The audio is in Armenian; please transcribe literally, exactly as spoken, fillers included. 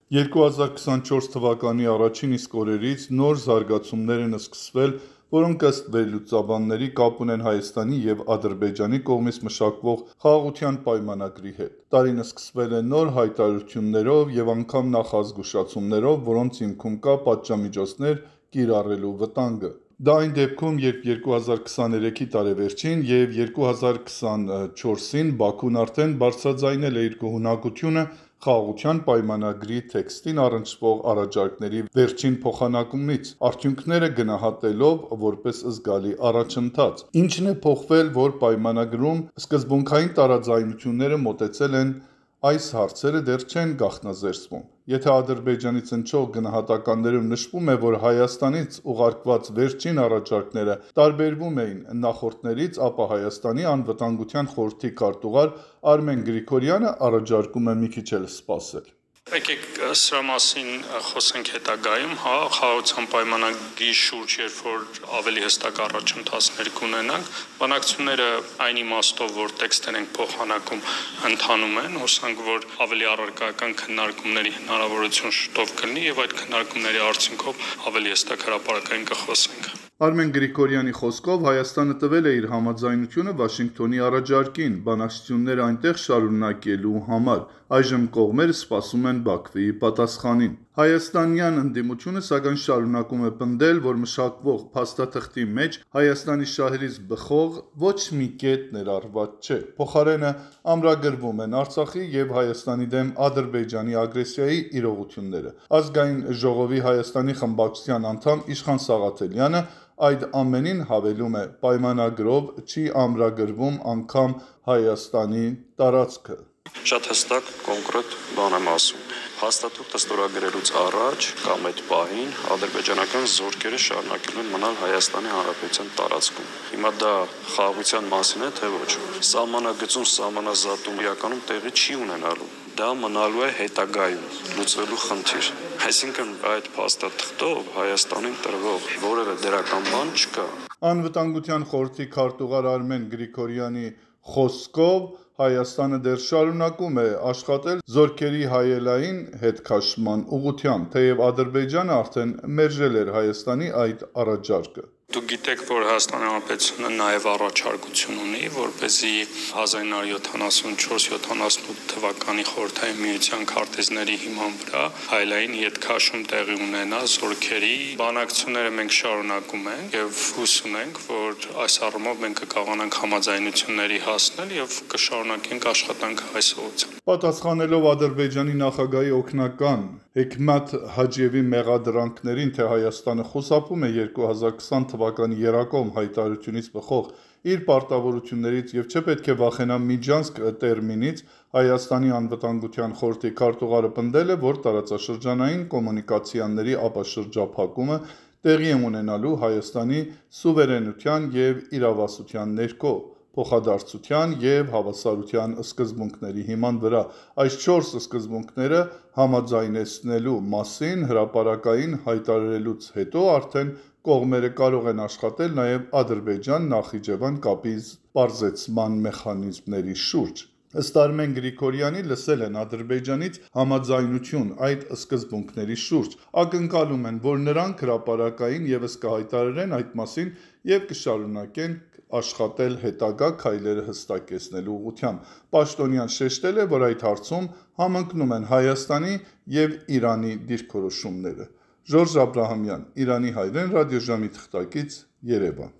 երկու հազար քսանչորս թվականի առաջին իսկ օրերից նոր զարգացումներ են սկսվել, որոնք ըստ վերլուծաբանների կապ ունեն Հայաստանի և Ադրբեջանի կողմից մշակվող խաղաղության պայմանագրի հետ։ Տարին սկսվել է նոր հայտարարություններով և անգամ նախազգուշացումներով, որոնց հիմքում կա պատժամիջոցներ կիրառելու վտանգը։ Դա այն դեպքում, երբ երկու հազար քսաներեքի տարեվերջին և երկու հազար քսանչորսին Բաքուն արդեն բարձրաձայնել է իր գոհունակությունը խաղաղության պայմանագրի տեքստին առնչվող առաջարկների վերջին փոխանակումից, արդյունքները գնահատելով որպես զգալի առաջընթաց։ Ինչն է փոխվել, որ պայմանագրում սկզբունքային տարաձայնությունները մոտեցել են, այս հարցերը դեռ չեն գաղտնազերծվում։ Եթե Ադրբեջանից հնչող գնահատականներում նշվում է, որ Հայաստանից ուղարկված վերջին առաջարկները տարբերվում էին նախորդներից, ապա Հայաստանի անվտանգության խորհրդի քարտուղար Արմեն Գրիգորյանը առաջարկում է մի քիչ էլ սպասել։ Եկեք սրա մասին խոսենք հետագայում, հա, խաղաղության պայմանագրի շուրջ, երբ որ ավելի հստակ առաջընթացներ կունենանք, բանակցությունները այն իմաստով, որ տեքստեր ենք փոխանակում, ընթանում են, հուսանք, որ ավելի առարկայական քննարկումների հնարավորություն շուտով կլինի եւ այդ քննարկումների արդյունքով ավելի հստակ հրապարակային կխոսենք։ Արմեն Գրիգորյանի խոսքով Հայաստանը տվել է իր համաձայնությունը Վաշինգտոնի առաջարկին բանակցությունները այնտեղ շարունակելու համար։ Այժմ կողմերը սպասում են Բաքվի պատասխանին։ Հայաստանյան ընդդիմությունը սակայն շարունակում է պնդել, որ մշակվող փաստաթղթի մեջ Հայաստանի շահերից բխող ոչ մի կետ ներառված չէ։ Փոխարենը ամրագրվում են Արցախի և Հայաստանի դեմ Ադրբեջանի ագրեսիայի իրողությունները։ Ազգային ժողովի Հայաստանի խմբակցության անդամ Իշխան Սաղաթելյանը այդ ամենին հավելում է. պայմանագրով չի ամրագրվում անգամ Հայաստանի տարածքը։ Շատ հստակ կոնկրետ բան եմ ասում։ Փաստաթուղթը ստորագրելուց առաջ կամ այդ պահին ադրբեջանական զորքերը շարունակելու են մնալ Հայաստանի Հանրապետության տարածքում։ Հիմա դա խաղաղության մասին է, թե ոչ։ Սահմանագծում սահմանազատում իրականում տեղի չի ունենալու։ Դա մնալու է հետագայում լուծվելու խնդիր։ Այսինքն այդ փաստաթղթով Հայաստանին տրվող որևէ դրական բան չկա։ Անվտանգության խորհրդի քարտուղար Արմեն Գրիգորյանի խոսքով Հայաստանը դեռ շարունակում է աշխատել զորքերի հայելային հետքաշման ուղղությամբ, թեև Ադրբեջանը արդեն մերժել էր Հայաստանի այդ առաջարկը։ Դուք գիտեք, որ Հայաստանի Հանրապետությունը նաև առաջարկություն ունի, որպեսզի հազար ինը հարյուր յոթանասունչորս յոթանասունութ թվականի խորհրդային միության քարտեզների հիման վրա հայելային ետքաշում տեղի ունենա զորքերի։ Բանակցությունները մենք շարունակում ենք եւ հույս ունենք, որ այս առումով մենք կկարողանանք համաձայնությունների հասնել եւ կշարունակենք աշխատանքը այս ուղղությամբ։ Պատասխանելով Ադրբեջանի նախագահի օգնական Հեքմաթ Հաջիևի մեղադրանքներին, թե Հայաստանը խուսափում է երկու հազար քսան թվականի եռակողմ հայտարարությունից բխող իր պարտավորություններից եւ չպետք է վախենա միջանցք տերմինից, Հայաստանի անվտանգության խորհրդի քարտուղարը պնդել է, որ տարածաշրջանային կոմունիկացիաների ապաշրջափակումը տեղի է ունենալու Հայաստանի սուվերենության եւ իրավասության ներքո, փոխադարձության և հավասարության սկզբունքների հիման վրա։ Այս չորս սկզբունքները համաձայնեցնելու մասին հրապարակային հայտարարելուց հետո արդեն կողմերը կարող են աշխատել նաև Ադրբեջան-Նախիջևան կապի պարզեցման մեխանիզմների շուրջ։ Ըստ Արմեն Գրիգորյանի, լսել են Ադրբեջանից համաձայնություն այդ սկզբունքների շուրջ, ակնկալում են, որ նրանք հրապարակային ևս կհայտարարեն այդ մասին և կշարունակեն աշխատել հետագա քայլերը հստակեցնելու ուղղությամբ։ Պաշտոնյան շեշտել է, որ այդ հարցում համընկնում են Հայաստանի և Իրանի դիրքորոշումները։ Ժորժ Աբրահամյան, Իրանի հայրեն ռադիոժամի թղթակից, Երևան։